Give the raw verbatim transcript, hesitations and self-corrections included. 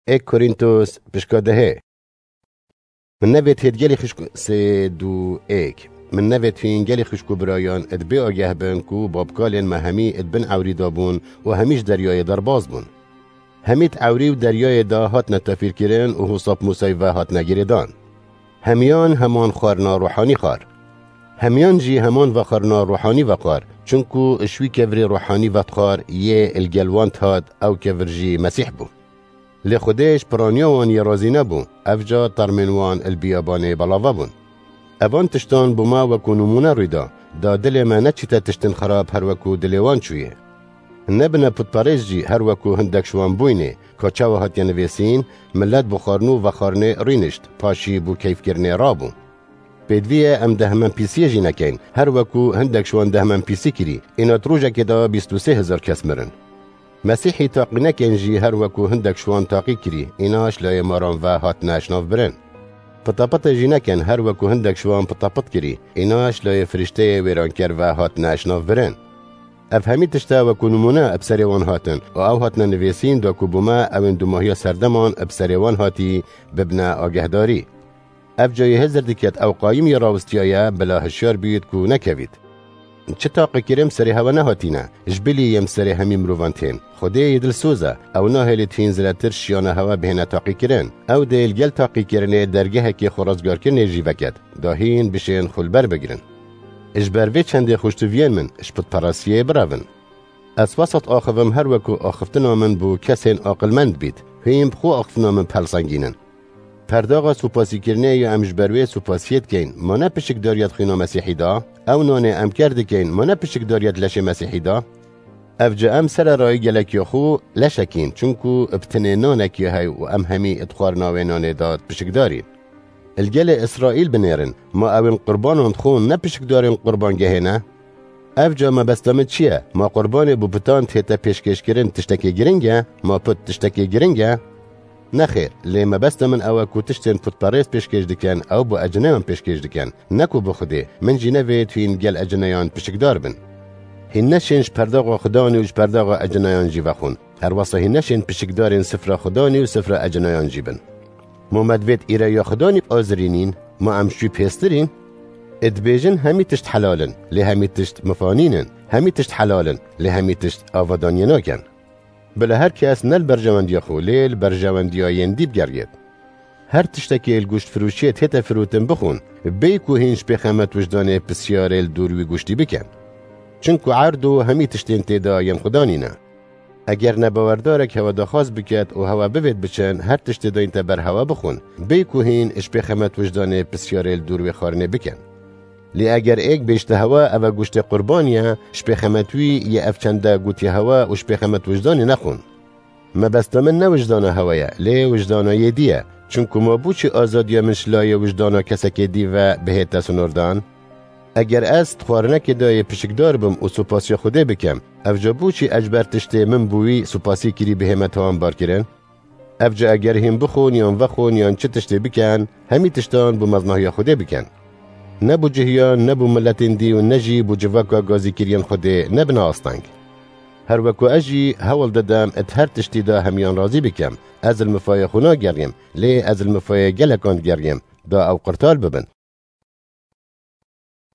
Êk Korîntos pişka dehê. Min nevêt hêt gelî xişk sê du êk. Min nevêt hîn gelî xişk û birayan, id bê ageh bin ku babkalên me hemî id bin ewrî de bûn û hemî ji deryayê derbas bûn. Hemî di ewrî û deryayê de hatine tefîrkirin û hûsap Mûsey ve hatine girêdan. Hemiyan heman xwarina ruhanî xwar. Hemiyan jî heman vexwarina ruhanî vexwar, çunku ji wî kevirê ruhanî vedixwar yê li gel wan dihat, ew kevir jî Mesîh bû. Lê Xwedê ji piraniya wan yê razî nebû, ev ca termên wan li biyabanê belava bûn. Evan tiştan bo me wekû nimûne rû da, da dilê me neçîte tiştên xerab her wekû dilê wan çûye. Nebine putperêst jî her wekû hindek ji wan bûyne, ka çawa hatiye nivêsîn, millet bi xwarin û vexwarinê rûnişt, paşî bo keyfkirinê rabû. Pêdivî ye em dehmenpîsiyê jî nekeyn, her wekû hindek ji wan dehmenpîsî kirî, îna di rojekê de bîst û sê hezar kes mirin. Mesîhî taqî nekeyn jî her wekû hindek ji wan taqî kirî, îna ji layê maran ve hatine şinavbirin. Pitepitê jî nekin her wekû hindek ji wan pitepit kirî, îna ji layê firîşteyê wêranker ve hatine şinavbirin. Ev hemî tişte wekû nimûne bi serê wan hatin û ew hatine nivêsîn da ku bo me ewên dumahiya serdeman bi serê wan hatî bibine agehdarî. Ev cayê hizir diket ew qayîm yê rawistiyaye, bila hişyar bît ku nekevît. Çi taqîkirin bi serê hewe nehatîne, ji bilî yên bi serê hemî mirovan tên. Xwedê yê dilsoz e, ew nahêlît hîn zêdetir şiyana hewe bihêne taqîkirin. Ew dê li gel taqîkirinê dergehekê xwe rizgarkirinê jî veket, da hîn bişên xwe li ber bigirin. Ji ber vê çendê xweştiviyên min, ji putperestiyê birevin. Ez wesat axivim her wekû axiftina min bo kesên aqilmend bît, hîn bi xwe axiftina min pelzengînin. Perdaxa supasîkirinê ya em ji ber wê supasiyê dikeyn, ma ne pişikdariya di xwîna Mesîhî da? Ew nanê em ker dikeyn, ma ne pişikdariya di leşê Mesîhî da? Ev ca em sererayî gelek ya xwe leşekîn, çunku bi tinê nanek ya hey û em hemî di xwarina wê nanê de pişikdarîn. Li gelê Îsraîl binêrin, ma ewên qurbanan dixwin ne pişikdarên qurbangehê ne? Ev ca mebesta min çi ye? Ma qurbanê bo putan tête pêşkêşkirin tiştekê giring e? Ma put tiştekê giring e? Nexêr, lê mebesta min ew e ku tiştên putperêst pêşkêş dikin, ew bo ecineyan pêşkêş dikin, ne ku bo Xwedê. Min jî nevêt hîn gel ecineyan pişikdar bin. Hîn neşên ji perdaxa Xudanî û ji perdaxa ecineyan jî vexwin. Her wesa hîn neşên pişikdarên sifra Xudanî û sifra ecineyan jî bin. Ma me divêt îreya Xudanî azirînîn, ma em ji wî pêstirîn? Ê dibêjin, hemî tişt helal in, lê hemî tişt mifanîn in. Hemî tişt helal in, lê hemî tişt avadaniyê nakin. Bila her kes ne li berjewendiya xwe, lê li berjewendiya yên dî bigeriyêt. Her tiştekê li goştfiroşiyê tête firotin bixwin, bêyî ku hîn ji pêxemet wijdanê pisyarê li dor wî goştî bikin. Çinku erd û hemî tiştên tê de yên Xudanî ne. Eger nebawerdarek hewe daxwaz biket û hewe bivêt biçin, her tiştê dayîn te ber hewe bixwin, bêyî ku hîn ji pêxemet wijdanê pisyarê li dor wê xwarinê bikin. Lê eger êk bêjte hewe, ev e goştê qurbanî ye, ji pêxemet wî yê ev çende gotiye hewe û ji pêxemet wijdanê nexwin. Mebesta min ne wijdana hewe ye, lê wijdana yê dî ye. Çinku ma bo çi azadiya min ji layê wijdana kesekê dî ve bihête sinordan? Eger ez di xwarinekê de yê pişikdar bim û supasiya Xwedê bikim, ev ca bo çi ez ji ber tiştê min bo wî supasî kirî bihême tawanbarkirin? Ev ca eger hîn bixwin yan vexwin yan çi tiştê bikin, hemî tiştan bo mezinahiya Xwedê bikin. Ne bo cihiyan, ne bo miletên dî û ne jî bo civaka gazîkiriyên Xwedê nebine asteng. Her wekû ez jî hewl didim di her tiştî de hemiyan razî bikim. Ez li mifayê xwe nageriyim, lê ez li mifayê gelekan digeriyim, da ew qurtar bibin.